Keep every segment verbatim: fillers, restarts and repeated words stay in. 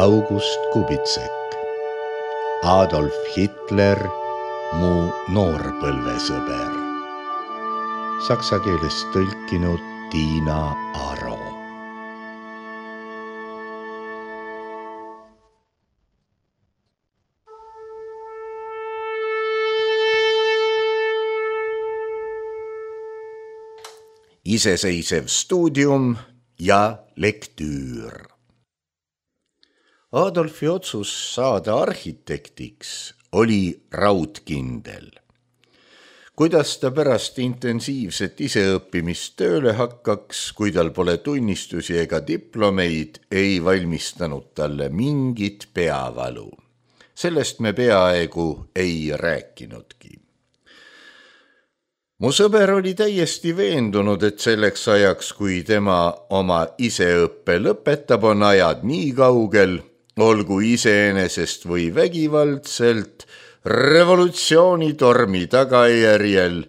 August Kubitsek, Adolf Hitler, mu noorpõlvesõber. Saksa keelest tõlkinud Tiina Aro. Iseseisev stuudium ja lektüür. Adolfi otsus saada arhitektiks oli raudkindel. Kuidas ta pärast intensiivset iseõppimist tööle hakkaks, kui tal pole tunnistusi ega diplomeid, ei valmistanud talle mingit peavalu. Sellest me peaaegu ei rääkinudki. Mu sõber oli täiesti veendunud, et selleks ajaks, kui tema oma iseõppe lõpetab, on ajad nii kaugel, olgu iseenesest või vägivaldselt, revolutsioonitormi tagajärjel,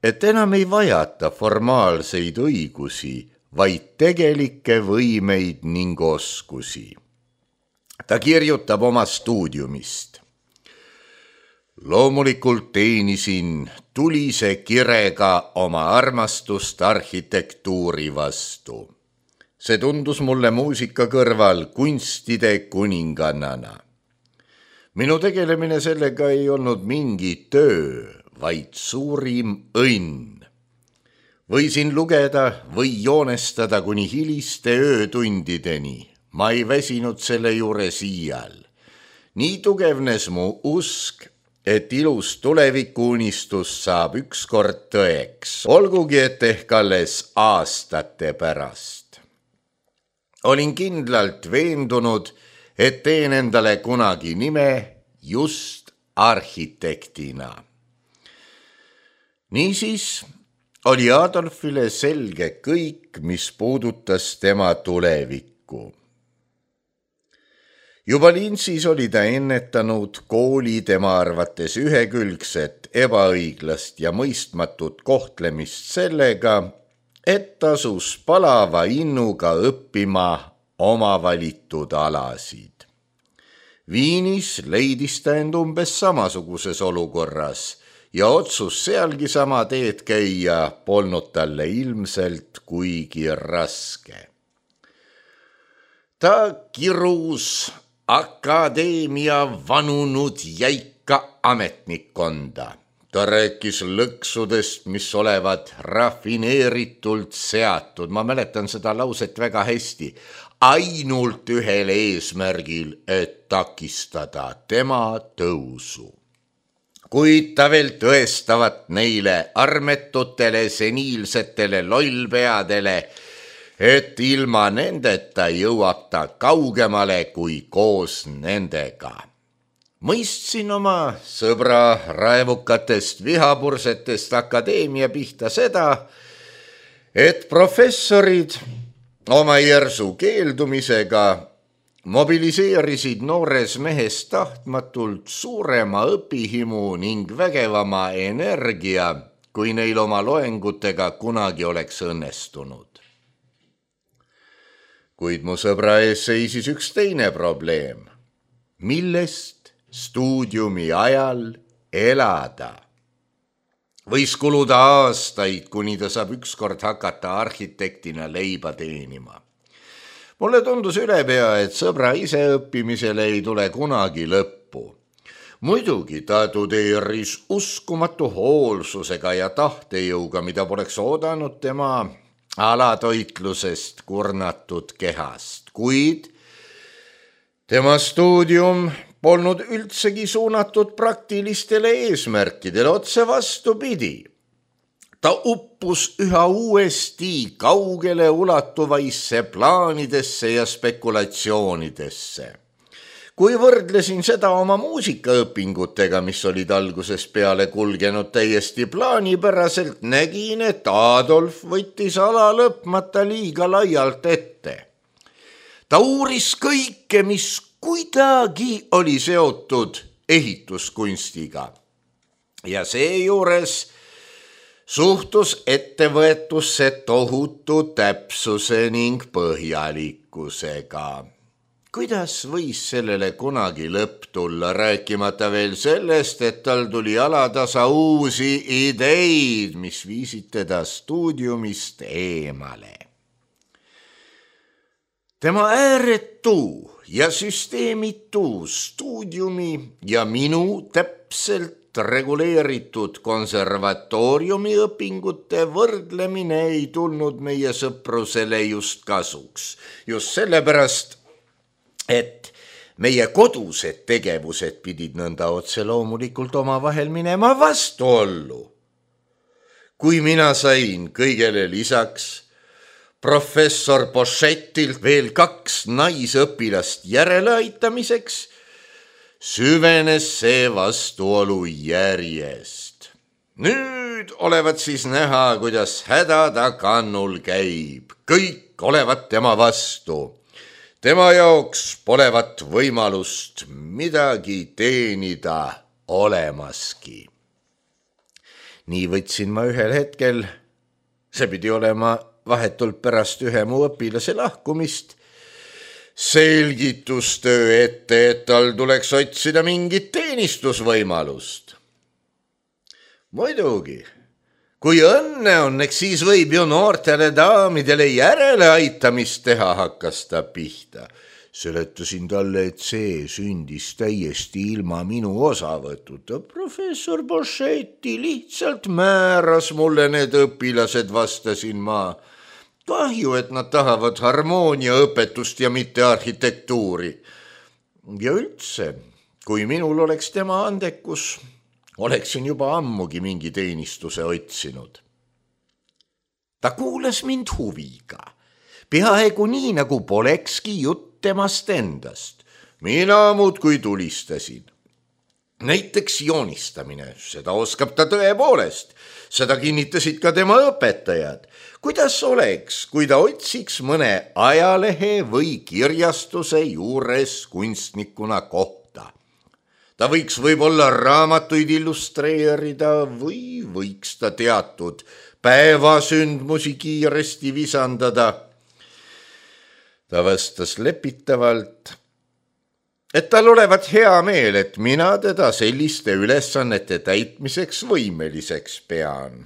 et enam ei vajata formaalseid õigusi, vaid tegelikke võimeid ning oskusi. Ta kirjutab oma stuudiumist. Loomulikult teenisin tulise kirega oma armastust arhitektuuri vastu. See tundus mulle muusika kõrval kunstide kuningannana. Minu tegelemine sellega ei olnud mingi töö, vaid suurim õnn. Võisin lugeda või joonestada kuni hiliste öötundideni. Ma ei väsinud selle juures iial. Nii tugevnes mu usk, et ilus tulevikuunistus saab ükskord tõeks, olgugi et ehk alles aastate pärast. Olin kindlalt veendunud, et teen endale kunagi nime just arhitektina. Niisiis oli Adolfile selge kõik, mis puudutas tema tulevikku. Juba Linsis oli ta ennetanud kooli tema arvates ühekülgset, ebaõiglast ja mõistmatut kohtlemist sellega, et tasus palava innuga õppima oma valitud alasid. Viinis leidis ta end umbes samasuguses olukorras ja otsus sealgi sama teed käia polnud talle ilmselt kuigi raske. Ta kirus akadeemia vanunud jäika ametnikkonda. Ta rääkis lõksudest, mis olevat rafineeritult seatud. Ma mäletan seda lauset väga hästi. Ainult ühel eesmärgil, et takistada tema tõusu. Kuid ta veel tõestavat neile armetutele, seniilsetele lollpeadele, et ilma nendeta jõuab ta kaugemale kui koos nendega. Mõistsin oma sõbra raevukatest vihapursetest akadeemia pihta seda, et professorid oma järsu keeldumisega mobiliseerisid noores mehes tahtmatult suurema õpihimu ning vägevama energia, kui neil oma loengutega kunagi oleks õnnestunud. Kuid mu sõbra ees seisis üks teine probleem, millest stuudiumi ajal elada. Võis kuluda aastaid, kuni ta saab ükskord hakata arhitektina leiba teenima. Mulle tundus ülepea, et sõbra iseõppimisele ei tule kunagi lõppu. Muidugi ta tudeeris uskumatu hoolsusega ja tahtejõuga, mida poleks oodanud tema alatoitlusest kurnatud kehast, kuid tema stuudium polnud üldsegi suunatud praktilistele eesmärkidele, otse vastupidi. Ta uppus üha uuesti kaugele ulatuvaisse plaanidesse ja spekulatsioonidesse. Kui võrdlesin seda oma muusikaõpingutega, mis olid algusest peale kulgenud täiesti plaanipäraselt, nägin, et Adolf võttis ala lõpmata liiga laialt ette. Ta uuris kõike, mis kuidagi oli seotud ehituskunstiga ja seejuures suhtus ettevõetusse tohutu täpsuse ning põhjalikkusega. kuidas võis sellele kunagi lõpp tulla, rääkimata veel sellest, et tal tuli alatasa uusi ideid, mis viisid teda stuudiumist eemale. Tema ääretu ja süsteemitu stuudiumi ja minu täpselt reguleeritud konservatooriumi õpingute võrdlemine ei tulnud meie sõprusele just kasuks. Just sellepärast, et meie kodused tegevused pidid nõnda otse loomulikult oma vahel minema vastuollu. Kui mina sain kõigele lisaks professor Boschettilt veel kaks naisõpilast järeleaitamiseks, süvenes see vastuolu järjest. Nüüd olevat siis näha, kuidas häda ta kannul käib. Kõik olevat tema vastu. Tema jaoks polevat võimalust midagi teenida olemaski. Nii võtsin ma ühel hetkel, see pidi olema vahetult pärast ühe mu õpilase lahkumist, selgitustöö ette, et tal tuleks otsida mingit teenistusvõimalust. Muidugi, kui õnne on, eks siis võib ju noortele daamidele järeleaitamist teha, hakkas ta pihta. Seletasin talle, et see sündis täiesti ilma minu osavõtuta. Professor Boschetti lihtsalt määras mulle need õpilased, vastasin ma. Kahju, et nad tahavad harmooniaõpetust ja mitte arhitektuuri. Ja üldse, kui minul oleks tema andekus, oleksin juba ammugi mingi teenistuse otsinud. Ta kuulas mind huviga, peaaegu nii, nagu polekski jutt temast endast. Mina muudkui tulistasin. Näiteks joonistamine, seda oskab ta tõepoolest. Seda kinnitasid ka tema õpetajad. Kuidas oleks, kui ta otsiks mõne ajalehe või kirjastuse juures kunstnikuna kohta? Ta võiks võib-olla raamatuid illustreerida või võiks ta teatud päevasündmusi kiiresti visandada. Ta vastas lepitavalt, et tal olevat hea meel, et mina teda selliste ülesannete täitmiseks võimeliseks pean.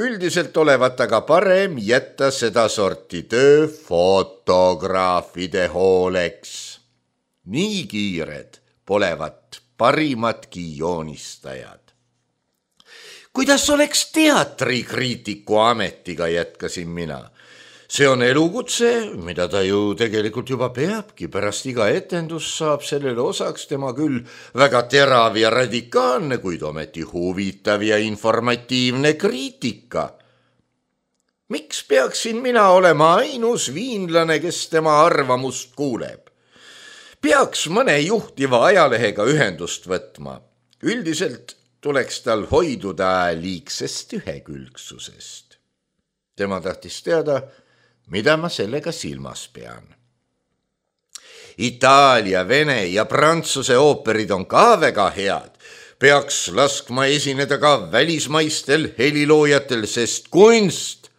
Üldiselt olevat aga parem jätta seda sorti töö fotograafide hooleks. Nii kiired polevat parimatki joonistajad. Kuidas oleks teatrikriitiku ametiga, jätkasin mina. See on elukutse, mida ta ju tegelikult juba peabki. Pärast iga etendus saab sellele osaks tema küll väga terav ja radikaalne, kuid ometi huvitav ja informatiivne kriitika. Miks peaksin mina olema ainus viinlane, kes tema arvamust kuuleb? Peaks mõne juhtiva ajalehega ühendust võtma. Üldiselt tuleks tal hoiduda liigsest ühekülgsusest. Tema tahtis teada, mida ma sellega silmas pean. Itaalia, Vene ja Prantsuse ooperid on ka väga head. Peaks laskma esineda ka välismaistel heliloojatel, sest kunst,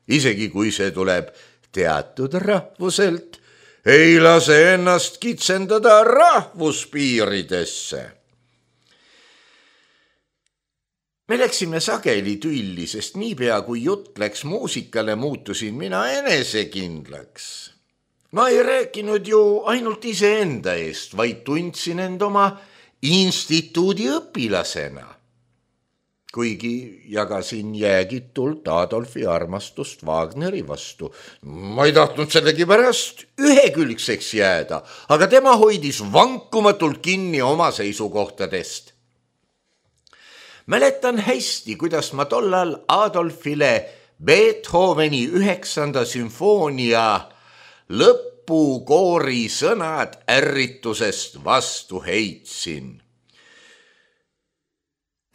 isegi kui see tuleb teatud rahvuselt, ei lase ennast kitsendada rahvuspiiridesse. Me läksime sageli tülli, sest niipea kui jutt läks muusikale, muutusin mina enesekindlaks. Ma ei rääkinud ju ainult iseenda eest, vaid tundsin end oma instituudi õpilasena. Kuigi jagasin jäägitult Adolfi armastust Wagneri vastu. Ma ei tahtnud sellegi pärast ühekülgseks jääda, aga tema hoidis vankumatult kinni oma seisukohtadest. Mäletan hästi, kuidas ma tollal Adolfile Beethoveni üheksanda sümfoonia lõpukoori sõnad ärritusest vastu heitsin.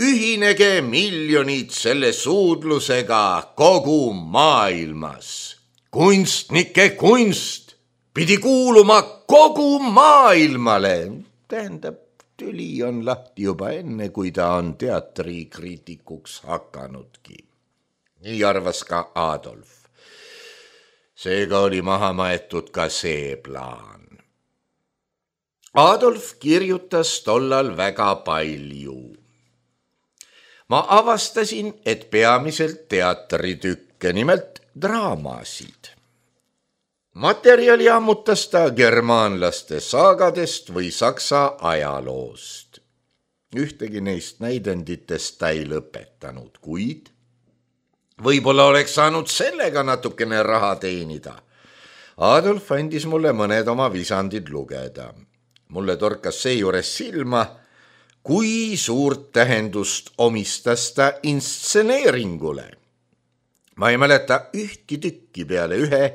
Ühinege miljonid selle suudlusega kogu maailmas. Kunstnike kunst pidi kuuluma kogu maailmale. Tähendab, tüli on lahti juba enne, kui ta on teatrikriitikuks hakanudki. Nii arvas ka Adolf. Seega oli maha maetud ka see plaan. Adolf kirjutas tollal väga palju. Ma avastasin, et peamiselt teatritükke, nimelt draamasid. Materjali ammutas ta germaanlaste saagadest või saksa ajaloost. Ühtegi neist näidenditest ta ei lõpetanud, kuid võib-olla oleks saanud sellega natukene raha teenida. Adolf andis mulle mõned oma visandid lugeda. Mulle torkas seejuures silma, kui suurt tähendust omistas ta instseneeringule. Ma ei mäleta ühtki tükki peale ühe,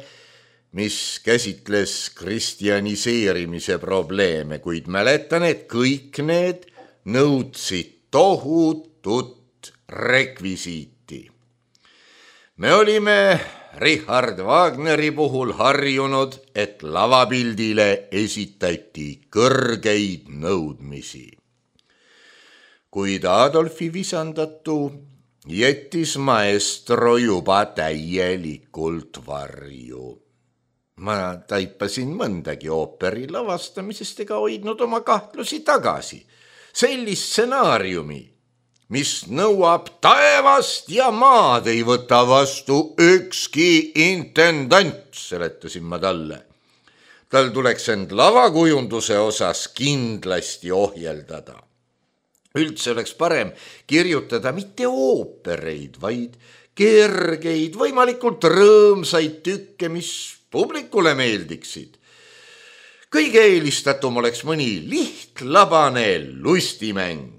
mis käsitles kristjaniseerimise probleeme, kuid mäletan, et kõik need nõudsid tohutut rekvisiiti. Me olime Richard Wagneri puhul harjunud, et lavapildile esitati kõrgeid nõudmisi. Kuid Adolfi visandatu jättis maestro juba täielikult varju. Ma taipasin mõndagi ooperi lavastamisest ega hoidnud oma kahtlusi tagasi. Sellist stsenaariumi, mis nõuab taevast ja maad, ei võta vastu ükski intendant, seletasin ma talle. Tal tuleks end lavakujunduse osas kindlasti ohjeldada. Üldse oleks parem kirjutada mitte oopereid, vaid kergeid, võimalikult rõõmsaid tükke, mis publikule meeldiksid. Kõige eelistatum oleks mõni lihtlabane lustimäng.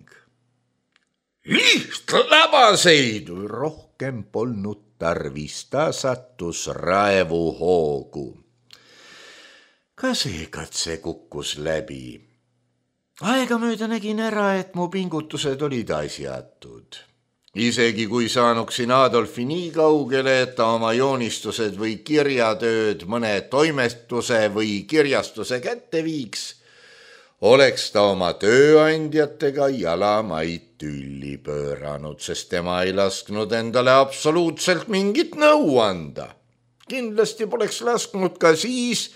Lihtlabaseid rohkem polnud tarvis, ta sattus raevuhoogu. Ka see katse kukkus läbi. Aegamööda nägin ära, et mu pingutused olid asjatud. Isegi kui saanuksin Adolfi nii kaugele, et ta oma joonistused või kirjatööd mõne toimetuse või kirjastuse kätte viiks, oleks ta oma tööandjatega jalamaid tülli pööranud, sest tema ei lasknud endale absoluutselt mingit nõu anda. Kindlasti poleks lasknud ka siis,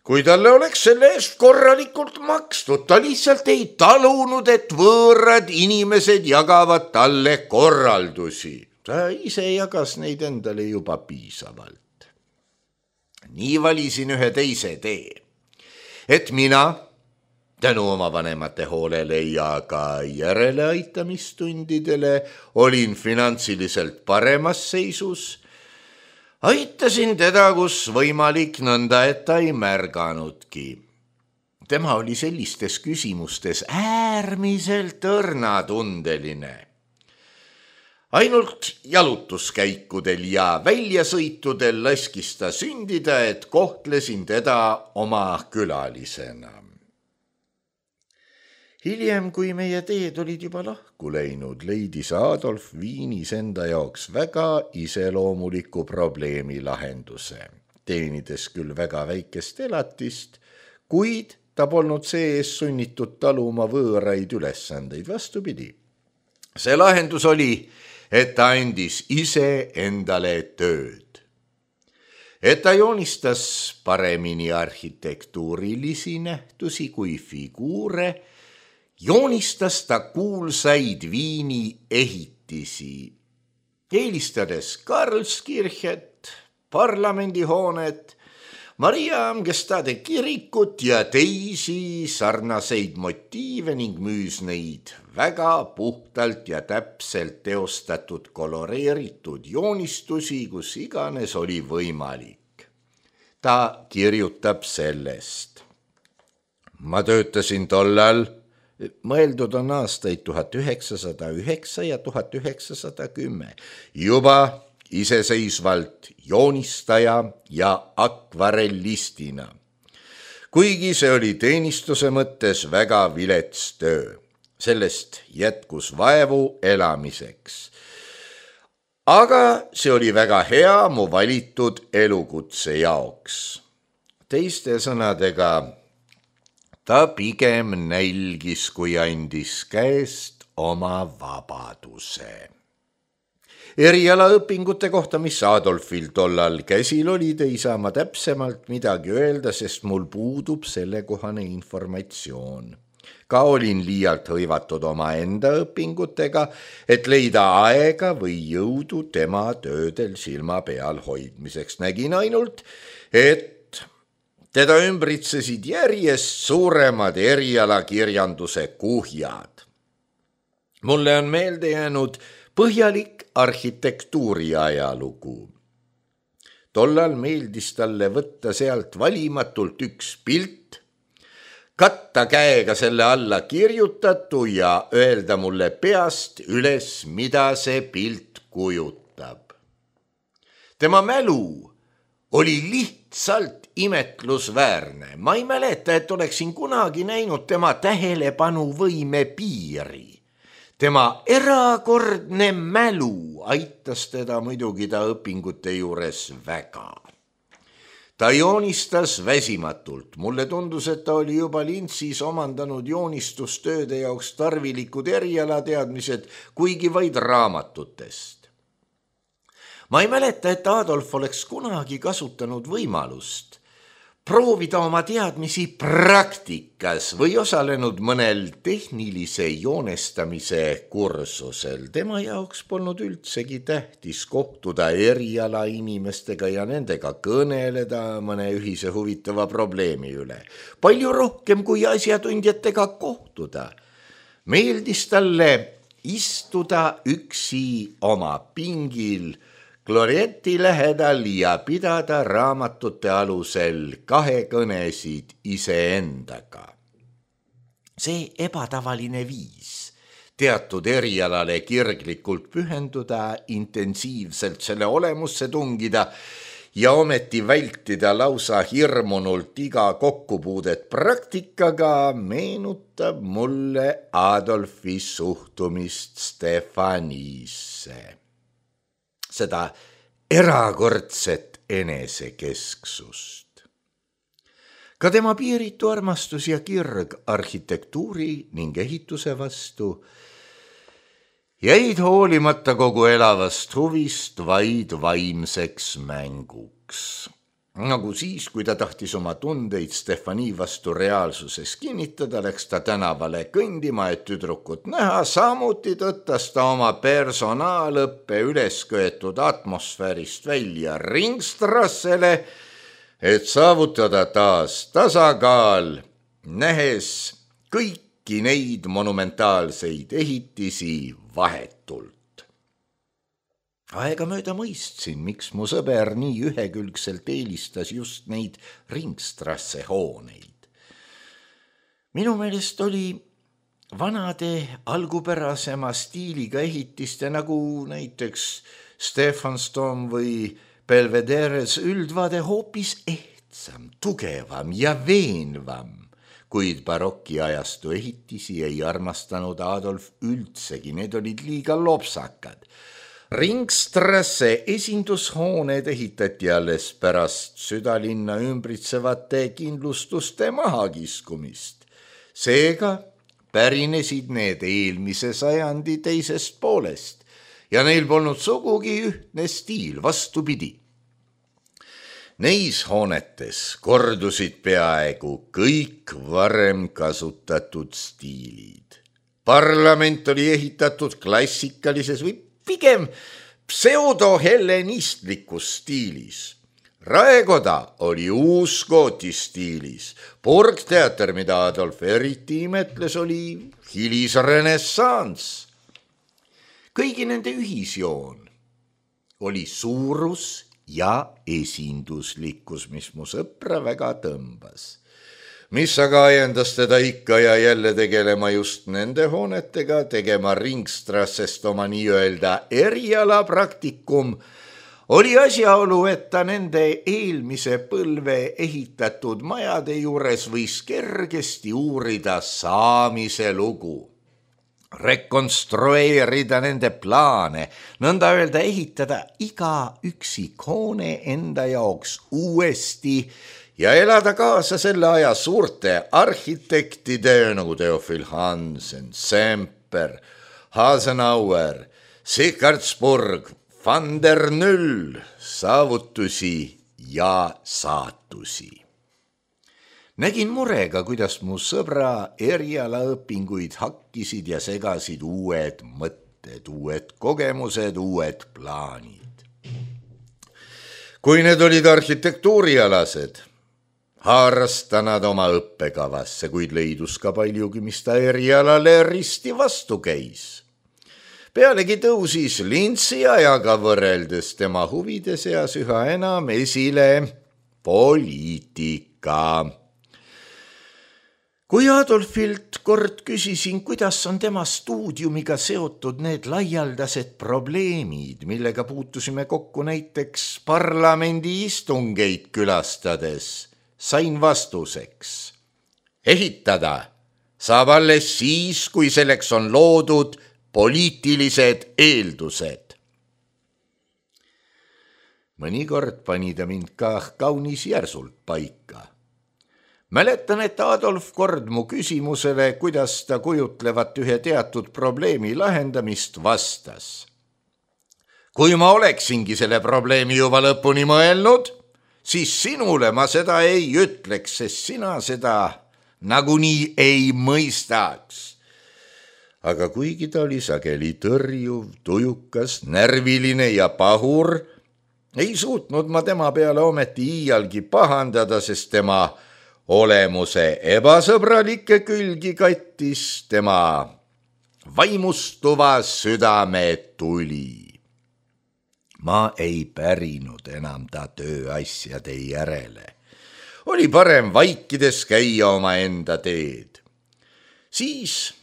kui talle oleks selle eest korralikult makstud. Ta lihtsalt ei talunud, et võõrad inimesed jagavad talle korraldusi. Ta ise jagas neid endale juba piisavalt. Nii valisin ühe teise tee, et mina tänu oma vanemate hoolele ja ka järeleaitamistundidele olin finantsiliselt paremas seisus. Aitasin teda, kus võimalik, nõnda, et ta ei märganudki. Tema oli sellistes küsimustes äärmiselt õrnatundeline. Ainult jalutuskäikudel ja väljasõitudel laskis ta sündida, et kohtlesin teda oma külalisena. Hiljem, kui meie teed olid juba lahku läinud, leidis Adolf Viinis enda jaoks väga iseloomuliku probleemi lahenduse. Teenides küll väga väikest elatist, kuid ta polnud see-ees sunnitud taluma võõraid ülesandeid, vastupidi. See lahendus oli, et ta andis ise endale tööd. Et ta joonistas paremini arhitektuurilisi nähtusi kui figuure, joonistas ta kuulsaid Viini ehitisi, eelistades Karlskirchet, parlamendihoonet, Maria Amgestade kirikut ja teisi sarnaseid motiive ning müüs neid väga puhtalt ja täpselt teostatud koloreeritud joonistusi, kus iganes oli võimalik. Ta kirjutab sellest. Ma töötasin tollal, mõeldud on aastaid tuhat üheksasada üheksa ja tuhat üheksasada kümme, juba iseseisvalt joonistaja ja akvarellistina. Kuigi see oli teenistuse mõttes väga vilets töö, sellest jätkus vaevu elamiseks. Aga see oli väga hea mu valitud elukutse jaoks. Teiste sõnadega, ta pigem nälgis, kui andis käest oma vabaduse. erialaõpingute kohta, mis Adolfil tollal käsil olid, ei saa ma täpsemalt midagi öelda, sest mul puudub sellekohane informatsioon. Ka olin liialt hõivatud oma enda õpingutega, et leida aega või jõudu tema töödel silma peal hoidmiseks. Nägin ainult, et teda ümbritsesid järjest suuremad erialakirjanduse kuhjad. Mulle on meelde jäänud põhjalik arhitektuuri ajalugu. Tollal meeldis talle võtta sealt valimatult üks pilt, katta käega selle alla kirjutatu ja öelda mulle peast üles, mida see pilt kujutab. Tema mälu oli lihtsalt imetlusväärne. Ma ei mäleta, et oleksin kunagi näinud tema tähelepanuvõime piiri. Tema erakordne mälu aitas teda muidugi ta õpingute juures väga. Ta joonistas väsimatult. Mulle tundus, et ta oli juba lintsis omandanud joonistustööde jaoks tarvilikud erialateadmised, kuigi vaid raamatutest. Ma ei mäleta, et Adolf oleks kunagi kasutanud võimalust proovida oma teadmisi praktikas või osalenud mõnel tehnilise joonestamise kursusel. Tema jaoks polnud üldsegi tähtis kohtuda eriala inimestega ja nendega kõneleda mõne ühise huvitava probleemi üle. Palju rohkem kui asjatundjatega kohtuda. Meeldis talle istuda üksi oma pingil Glorieti lähedal ja pidada raamatute alusel kahekõnesid iseendaga. See ebatavaline viis teatud erialale kirglikult pühenduda, intensiivselt selle olemusse tungida ja ometi vältida lausa hirmunult iga kokkupuudet praktikaga meenutab mulle Adolfi suhtumist Stefanisse. Seda erakordset enesekesksust. Ka tema piiritu armastus ja kirg arhitektuuri ning ehituse vastu jäid hoolimata kogu elavast huvist vaid vaimseks mänguks. Nagu siis, kui ta tahtis oma tundeid Stefani vastu reaalsuses kinnitada, läks ta tänavale kõndima, et tüdrukut näha, samuti tõttas ta oma personaalõppe ülesköetud atmosfäärist välja Ringstrassele, et saavutada taas tasakaal, nähes kõiki neid monumentaalseid ehitisi vahetult. Aega mööda mõistsin, miks mu sõber nii ühekülgselt eelistas just neid Ringstrasse hooneid. Minu meelest oli vanade algupärasema stiiliga ehitiste nagu näiteks Stephansdom või Belvederes üldvaade hoopis ehtsam, tugevam ja veenvam, kuid barokiajastu ehitisi ei armastanud Adolf üldsegi, need olid liiga lopsakad. Ringstrasse esindushooned ehitati alles pärast südalinna ümbritsevate kindlustuste mahakiskumist. Seega pärinesid need eelmise sajandi teisest poolest ja neil polnud sugugi ühtne stiil, vastupidi. Neis hoonetes kordusid peaaegu kõik varem kasutatud stiilid. Parlament oli ehitatud klassikalises või pigem pseudohellenistlikus stiilis. Raekoda oli uuskooti stiilis. Burgteater, mida Adolf eriti imetles, oli hilisrenessanss. Kõigi nende ühisjoon oli suurus ja esinduslikkus, mis mu sõpra väga tõmbas. Mis aga ajendas teda ikka ja jälle tegelema just nende hoonetega, tegema Ringstrassest oma nii-öelda erialapraktikum, oli asjaolu, et ta nende eelmise põlve ehitatud majade juures võis kergesti uurida saamise lugu, rekonstrueerida nende plaane, nõnda öelda ehitada iga üksik hoone enda jaoks uuesti ja elada kaasa selle aja suurte arhitektide nagu Theophil Hansen, Semper, Hasenauer, Sikardsburg van der Null, saavutusi ja saatusi. Nägin murega, kuidas mu sõbra erialaõpinguid hakkisid ja segasid uued mõtted, uued kogemused, uued plaanid. Kui need olid arhitektuurialased, haaras ta nad oma õppekavasse, kuid leidus ka paljugi, mis ta erialale risti vastu käis. Pealegi tõusis Lintsi ajaga võrreldes tema huvide seas üha enam esile poliitika. Kui Adolfilt kord küsisin, kuidas on tema stuudiumiga seotud need laialdased probleemid, millega puutusime kokku näiteks parlamendi istungeid külastades, sain vastuseks. Ehitada saab alles siis, kui selleks on loodud poliitilised eeldused. Mõnikord pani ta mind ka kaunis järsult paika. Mäletan, et Adolf kord mu küsimusele, kuidas ta kujutlevat ühe teatud probleemi lahendamist vastas. Kui ma oleksingi selle probleemi juba lõpuni mõelnud, siis sinule ma seda ei ütleks, sest sina seda nagunii ei mõistaks. Aga kuigi ta oli sageli tõrjuv, tujukas, närviline ja pahur, ei suutnud ma tema peale ometi iialgi pahandada, sest tema olemuse ebasõbralikke külgi kattis tema vaimustuva südame tuli. Ma ei pärinud enam ta tööasjade järele. Oli parem vaikides käia oma enda teed. Siis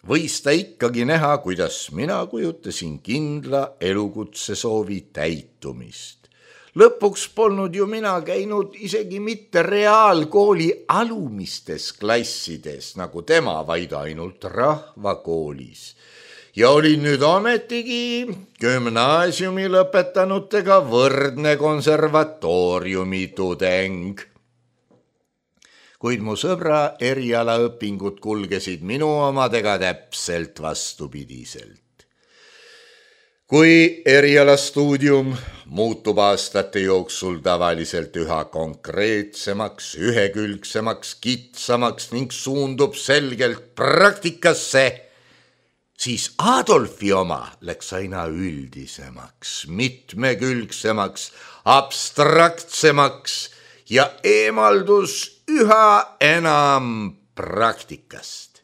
võis ta ikkagi näha, kuidas mina kujutasin kindla elukutse soovi täitumist. Lõpuks polnud ju mina käinud isegi mitte reaalkooli alumistes klassides, nagu tema, vaid ainult rahvakoolis. Ja olin nüüd ametigi gümnaasiumi lõpetanutega võrdne konservatooriumi tudeng. Kuid mu sõbra erialaõpingud kulgesid minu omadega täpselt vastupidiselt. Kui erialastuudium muutub aastate jooksul tavaliselt üha konkreetsemaks, ühekülgsemaks, kitsamaks ning suundub selgelt praktikasse, siis Adolfi oma läks aina üldisemaks, mitmekülgsemaks, abstraktsemaks ja eemaldus üha enam praktikast.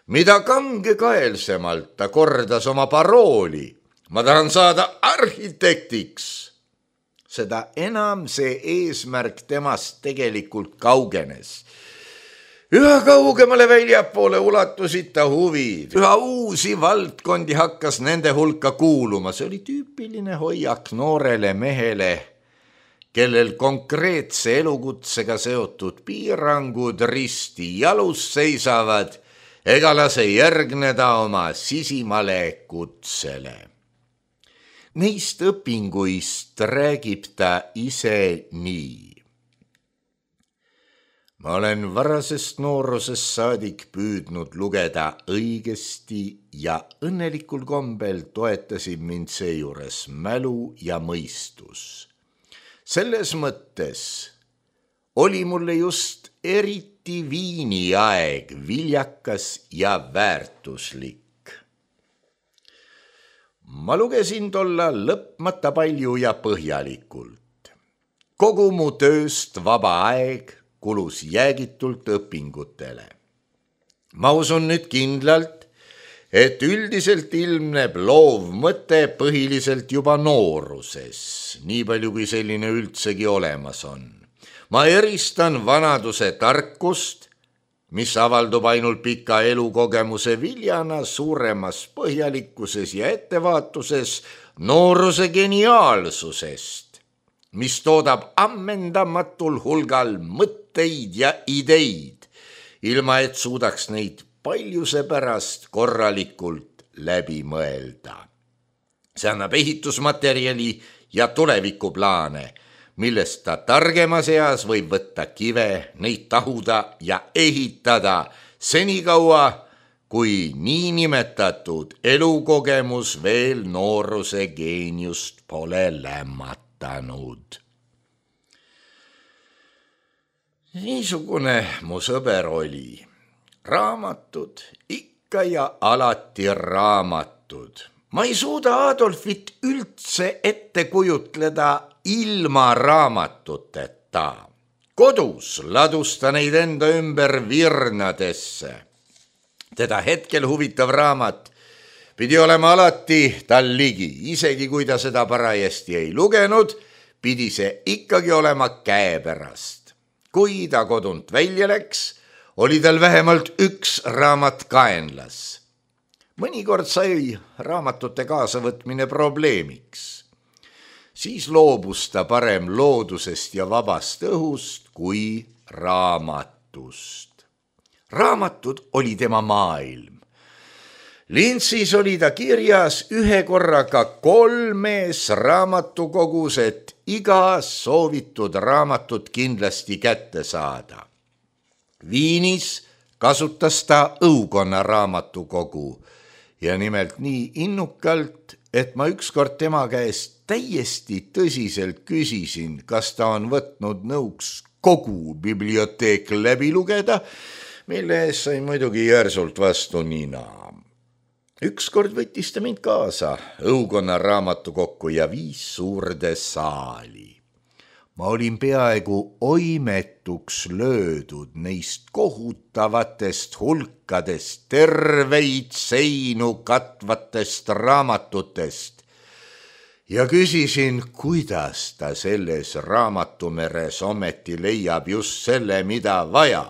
Mida kangekaelsemalt ta kordas oma parooli, ma tahan saada arhitektiks, seda enam see eesmärk temast tegelikult kaugenes. Üha kaugemale väljapoole ulatusid ta huvid, üha uusi valdkondi hakkas nende hulka kuuluma. See oli tüüpiline hoiak noorele mehele, kellel konkreetse elukutsega seotud piirangud risti jalus seisavad, ega lase järgneda oma sisimale kutsele. Neist õpinguist räägib ta ise nii. Ma olen varasest noorusest saadik püüdnud lugeda õigesti ja õnnelikul kombel toetasid mind seejuures mälu ja mõistus. Selles mõttes oli mulle just eriti viini aeg viljakas ja väärtuslik. Ma lugesin tolla lõpmata palju ja põhjalikult. Kogu mu tööst vaba aeg kulus jäägitult õpingutele. Ma usun nüüd kindlalt, et üldiselt ilmneb loov mõte põhiliselt juba nooruses, nii palju kui selline üldsegi olemas on. Ma eristan vanaduse tarkust, mis avaldub ainult pika elukogemuse viljana suuremas põhjalikkuses ja ettevaatuses nooruse geniaalsusest, mis toodab ammendamatul hulgal mõtteid ja ideid, ilma et suudaks neid paljuse pärast korralikult läbi mõelda. See annab ehitusmaterjali ja tulevikuplaane, millest ta targemas eas võib võtta kive, neid tahuda ja ehitada senikaua, kui niinimetatud elukogemus veel nooruse geeniust pole lämmatanud. Niisugune mu sõber oli. Raamatud, ikka ja alati raamatud. Ma ei suuda Adolfit üldse ette kujutleda ilma raamatuteta. Kodus ladusta neid enda ümber virnadesse. Teda hetkel huvitav raamat pidi olema alati tal ligi, isegi kui ta seda parajasti ei lugenud, pidi see ikkagi olema käepärast. Kui ta kodunt välja läks, oli tal vähemalt üks raamat kaenlas. Mõnikord sai raamatute kaasavõtmine probleemiks. Siis loobus ta parem loodusest ja vabast õhust kui raamatust. Raamatud oli tema maailm. Lintsis oli ta kirjas ühe korraga kolmes raamatukogus, et iga soovitud raamatut kindlasti kätte saada. Viinis kasutas ta õukonna raamatukogu ja nimelt nii innukalt, et ma ükskord tema käest täiesti tõsiselt küsisin, kas ta on võtnud nõuks kogu biblioteek läbi lugeda, mille ees sai muidugi järsult vastu nina. Ükskord võttis ta mind kaasa õukonna raamatukokku ja viis suurde saali. Ma olin peaaegu oimetuks löödud neist kohutavatest hulkadest, terveid seinu katvatest raamatutest ja küsisin, kuidas ta selles raamatumeres ometi leiab just selle, mida vaja.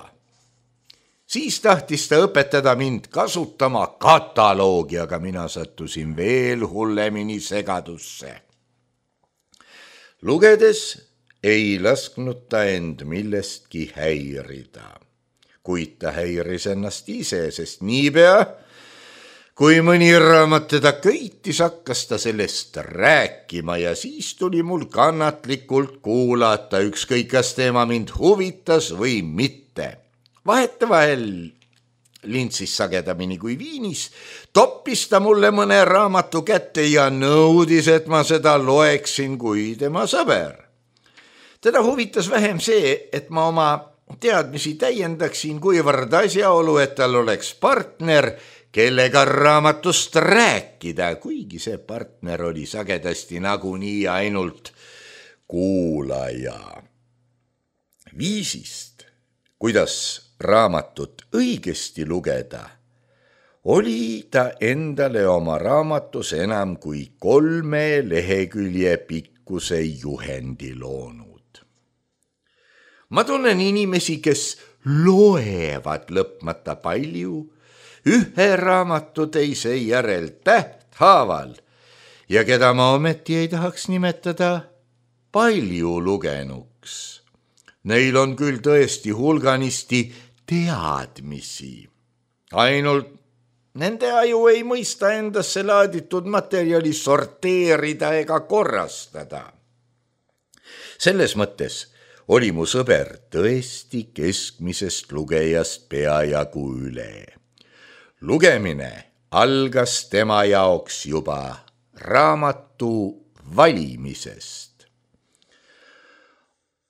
Siis tahtis ta õpetada mind kasutama kataloogi, aga mina sattusin veel hullemini segadusse. Lugedes ei lasknud ta end millestki häirida, kuid ta häiris ennast ise, sest niipea, kui mõni raamat teda köitis, hakkas ta sellest rääkima ja siis tuli mul kannatlikult kuulata, ükskõik kas teema mind huvitas või mitte. Vahetevahel Lintsis sagedamini kui Viinis toppis ta mulle mõne raamatu kätte ja nõudis, et ma seda loeksin kui tema sõber. Teda huvitas vähem see, et ma oma teadmisi täiendaksin, kuivõrd asjaolu, et tal oleks partner, kellega raamatust rääkida, kuigi see partner oli sagedasti nagunii ainult kuulaja. Viisist, kuidas raamatut õigesti lugeda, oli ta endale oma raamatus enam kui kolme lehekülje pikkuse juhendi loonud. Ma tunnen inimesi, kes loevad lõpmata palju, ühe raamatu teise järel tähthaaval ja keda ma ometi ei tahaks nimetada palju lugenuks. Neil on küll tõesti hulganisti teadmisi. Ainult nende aju ei mõista endasse laaditud materjali sorteerida ega korrastada. Selles mõttes oli mu sõber tõesti keskmisest lugejast peajagu üle. Lugemine algas tema jaoks juba raamatu valimisest.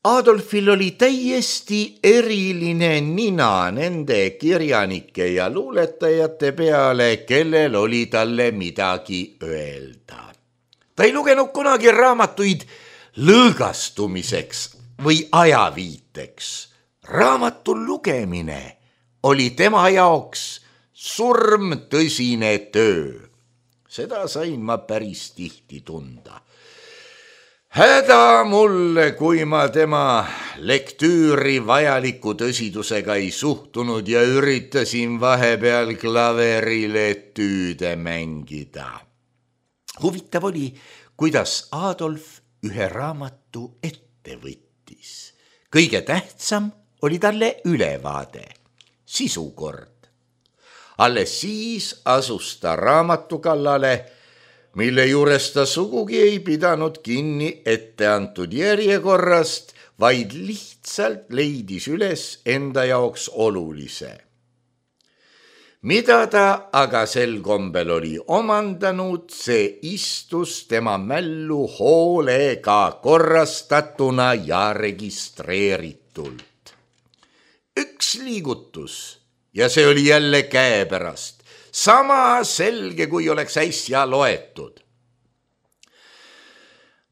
Adolfil oli täiesti eriline nina nende kirjanike ja luuletajate peale, kellel oli talle midagi öelda. Ta ei lugenud kunagi raamatuid lõõgastumiseks või ajaviiteks. Raamatu lugemine oli tema jaoks surmtõsine töö. Seda sain ma päris tihti tunda. Häda mulle, kui ma tema lektüüri vajaliku tõsidusega ei suhtunud ja üritasin vahepeal klaverile tüüde mängida. Huvitav oli, kuidas Adolf ühe raamatu ette võttis. Kõige tähtsam oli talle ülevaade, sisukord. Alles siis asus ta raamatu kallale, mille juures ta sugugi ei pidanud kinni ette antud järjekorrast, vaid lihtsalt leidis üles enda jaoks olulise. mida ta aga sel kombel oli omandanud, see istus tema mällu hoolega korrastatuna ja registreeritult. Üks liigutus ja see oli jälle käepärast, sama selge, kui oleks äsja loetud.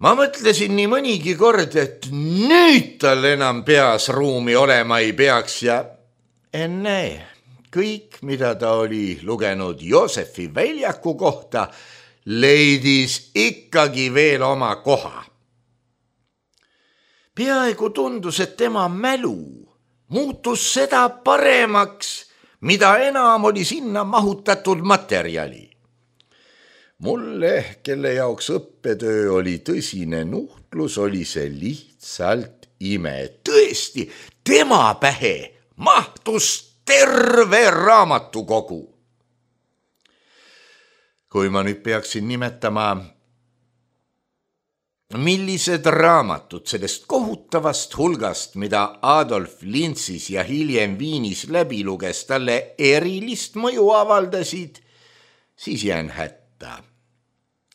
Ma mõtlesin nii mõnigi kord, et nüüd tal enam peas ruumi olema ei peaks ja enne kõik, mida ta oli lugenud Joosefi väljaku kohta, leidis ikkagi veel oma koha. Peaaegu tundus, et tema mälu muutus seda paremaks, mida enam oli sinna mahutatud materjali. Mulle, kelle jaoks õppetöö oli tõsine nuhtlus, oli see lihtsalt ime. Tõesti, tema pähe mahtus terve raamatukogu. Kui ma nüüd peaksin nimetama, millised raamatud sellest kohutavast hulgast, mida Adolf Linzis ja hiljem Viinis läbi luges, talle erilist mõju avaldasid, siis jään hätta.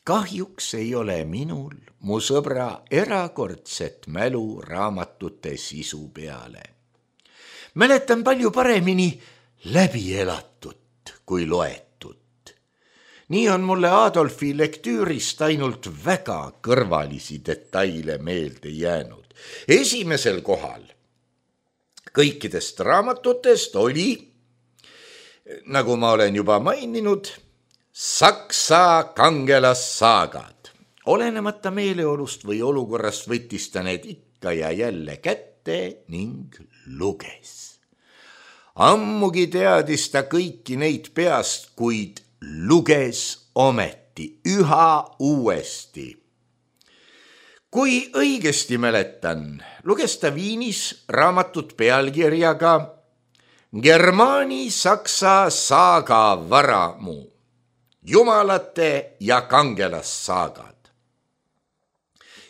Kahjuks ei ole minul, mu sõbra, erakordset mälu raamatute sisu peale. Mäletan palju paremini läbi elatut kui loetut. Nii on mulle Adolfi lektüürist ainult väga kõrvalisi detaile meelde jäänud. Esimesel kohal kõikidest raamatutest oli, nagu ma olen juba maininud, Saksa kangelassaagad. Olenemata meeleolust või olukorrast võttis ta need ikka ja jälle kätte ning luges. Ammugi teadis ta kõiki neid peast, kuid luges ometi üha uuesti. Kui õigesti mäletan, luges ta Viinis raamatut pealkirjaga Germaani-Saksa saaga varamu. Jumalate ja kangelassaagad.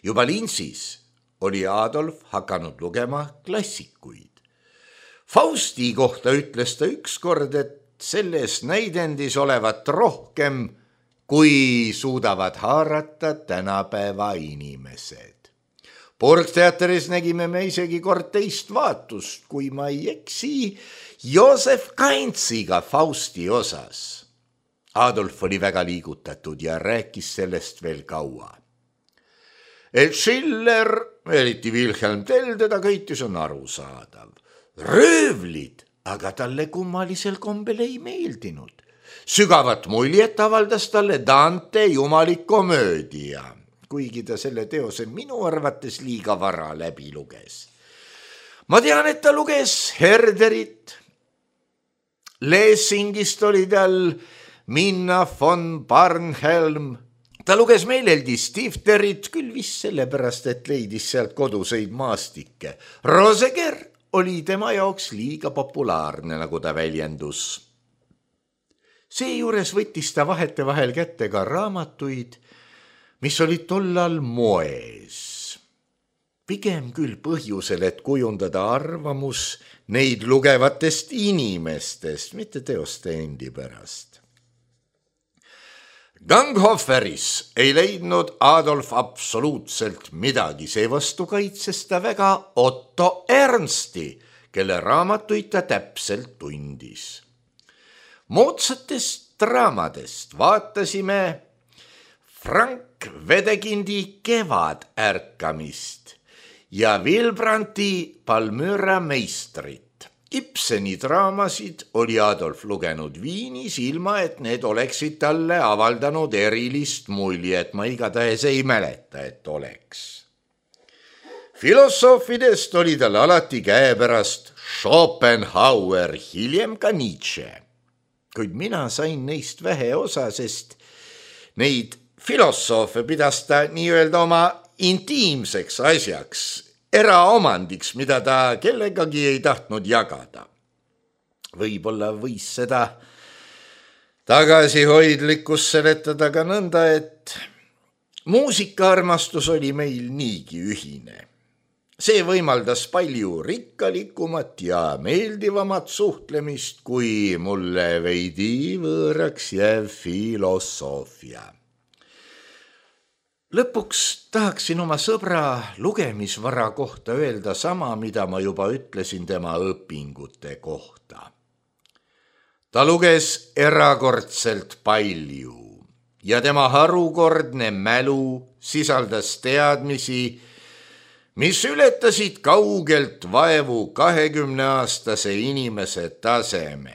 Juba Linzis oli Adolf hakanud lugema klassikuid. Fausti kohta ütles ta ükskord, et selles näidendis olevat rohkem, kui suudavad haarata tänapäeva inimesed. Burgteatris nägime me isegi kord teist vaatust, kui ma ei eksi, Joosef Kaintsiga Fausti osas. Adolf oli väga liigutatud ja rääkis sellest veel kaua. Et Schiller, eriti Wilhelm Tell, teda köitis on arusaadav. Röövlid aga talle kummalisel kombel ei meeldinud. Sügavat muljet avaldas talle Dante jumalik komöödia, kuigi ta selle teose minu arvates liiga vara läbi luges. Ma tean, et ta luges Herderit. Lessingist oli tal Minna von Barnhelm. Ta luges meeleldi Stifterit, küll vist sellepärast, et leidis sealt koduseid maastikke. Roseger oli tema jaoks liiga populaarne, nagu ta väljendus. Seejuures võttis ta vahete vahel kätte ka raamatuid, mis olid tollal moes. Pigem küll põhjusel, et kujundada arvamus neid lugevatest inimestest, mitte teoste endi pärast. Ganghoferis ei leidnud Adolf absoluutselt midagi, seevastu kaitses ta väga Otto Ernsti, kelle raamatuid ta täpselt tundis. Moodsatest draamadest vaatasime Frank Wedekindi Kevadärkamist ja Wilbranti Palmyra meistrit. Ibseni draamasid oli Adolf lugenud Viinis, ilma et need oleksid talle avaldanud erilist muljet, ma igatahes ei mäleta, et oleks. Filosoofidest oli tal alati käepärast Schopenhauer, hiljem ka Nietzsche. Kuid mina sain neist vähe osa, sest neid filosoofe pidas ta nii-öelda oma intiimseks asjaks, eraomandiks, mida ta kellegagi ei tahtnud jagada. Võib-olla võis seda tagasihoidlikkust seletada ka nõnda, et muusikaarmastus oli meil niigi ühine. See võimaldas palju rikkalikumat ja meeldivamat suhtlemist, kui mulle veidi võõraks jääv filosoofia. Lõpuks tahaksin oma sõbra lugemisvara kohta öelda sama, mida ma juba ütlesin tema õpingute kohta. Ta luges erakordselt palju ja tema harukordne mälu sisaldas teadmisi, mis ületasid kaugelt vaevu kahekümneaastase inimese taseme.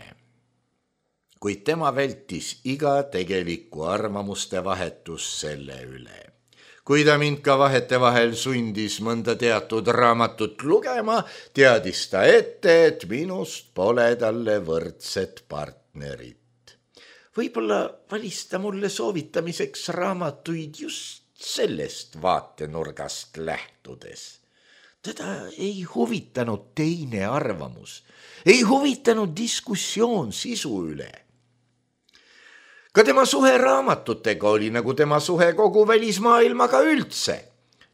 Kuid tema vältis iga tegelikku arvamuste vahetus selle üle. Kui ta mind ka vahetevahel sundis mõnda teatud raamatut lugema, teadis ta ette, et minust pole talle võrdset partnerit. Võib-olla valis ta mulle soovitamiseks raamatuid just sellest vaatenurgast lähtudes. Teda ei huvitanud teine arvamus, ei huvitanud diskussioon sisu üle. Ka tema suhe raamatutega oli nagu tema suhe kogu välismaailmaga üldse.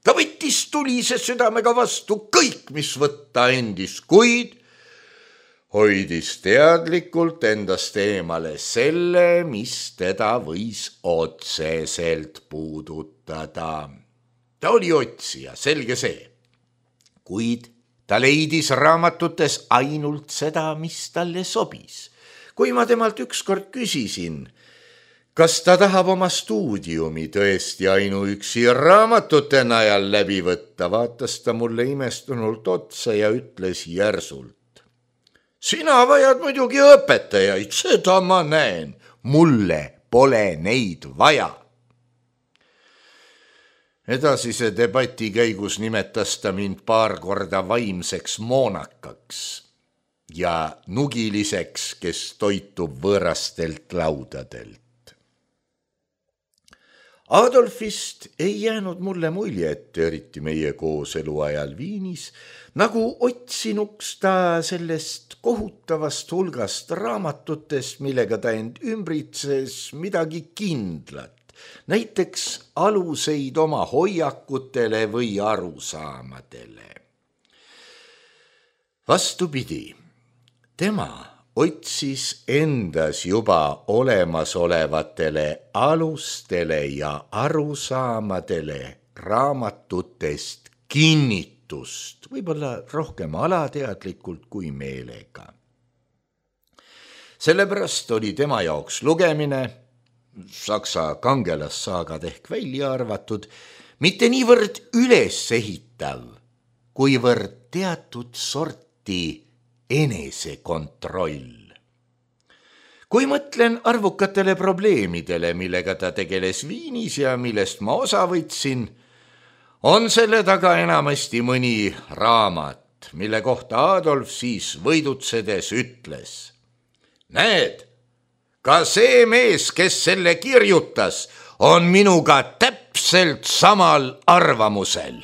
Ta võttis tulise südamega vastu kõik, mis võtta endis, kuid hoidis teadlikult endast eemale selle, mis teda võis otseselt puudutada. Ta oli otsija, selge see, kuid ta leidis raamatutes ainult seda, mis talle sobis. Kui ma temalt ükskord küsisin, kas ta tahab oma stuudiumi tõesti ainuüksi raamatute najal läbi võtta, vaatas ta mulle imestunult otsa ja ütles järsult: sina vajad muidugi õpetajaid, seda ma näen. Mulle pole neid vaja. Edasise debati käigus nimetas ta mind paar korda vaimseks moonakaks ja nugiliseks, kes toitub võõrastelt laudadelt. Adolfist ei jäänud mulle muljet, eriti meie kooselu ajal Viinis, nagu otsinuks ta sellest kohutavast hulgast raamatutest, millega ta end ümbritses, midagi kindlat, näiteks aluseid oma hoiakutele või arusaamadele. Vastupidi, tema otsis endas juba olemasolevatele alustele ja arusaamadele raamatutest kinnitust, võib-olla rohkem alateadlikult kui meelega. Sellepärast oli tema jaoks lugemine, saksa kangelasssaagad ehk välja arvatud, mitte niivõrd ülesehitav, kuivõrd teatud sorti enesekontroll. Kui mõtlen arvukatele probleemidele, millega ta tegeles Viinis ja millest ma osa võtsin, on selle taga enamasti mõni raamat, mille kohta Adolf siis võidutsedes ütles: näed, ka see mees, kes selle kirjutas, on minuga täpselt samal arvamusel.